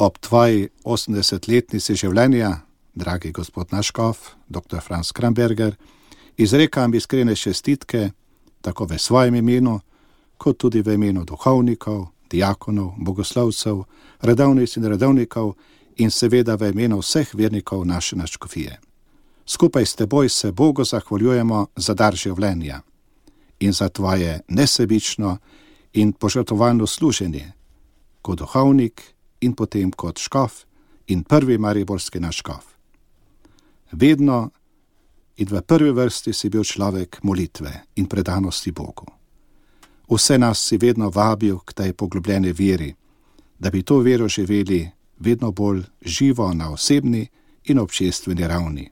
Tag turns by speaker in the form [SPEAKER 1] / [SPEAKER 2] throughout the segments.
[SPEAKER 1] Ob tvoji 80-letnici življenja, dragi gospod naš škof, dr. Franz Kramberger, izrekam iskrene čestitke, tako v svojem imenu, kot tudi v imenu duhovnikov, diakonov, bogoslovcev, redovnic in redovnikov in seveda v imenu vseh vernikov naše nadškofije. Skupaj s teboj se Bogu zahvaljujemo za dar življenja in za tvoje nesebično in požrtvovalno služenje kot duhovnik in potem kot škof in prvi mariborski naš škof. Vedno in v prvi vrsti si bil človek molitve in predanosti Bogu. Vse nas si vedno vabil k tej poglobljeni veri, da bi to vero živeli vedno bolj živo na osebni in občestveni ravni.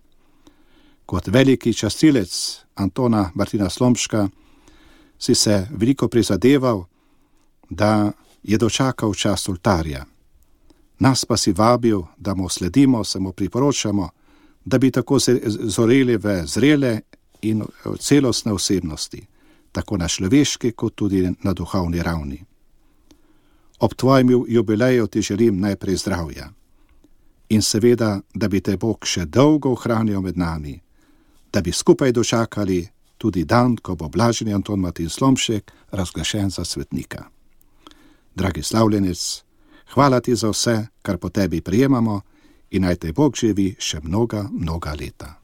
[SPEAKER 1] Kot veliki častilec Antona Martina Slomška si se veliko prizadeval, da je dočakal čas oltarja. Nas pa si vabil, da mu sledimo, se mu priporočamo, da bi tako zoreli v zrele in celostne osebnosti, tako na človeški kot tudi na duhovni ravni. Ob tvojem jubileju ti želim najprej zdravja in seveda, da bi te Bog še dolgo ohranil med nami, da bi skupaj dočakali tudi dan, ko bo blaženi Anton Martin Slomšek razglašen za svetnika. Dragi slavljenec, hvala ti za vse, kar po tebi prijemamo in naj te Bog živi še mnoga leta.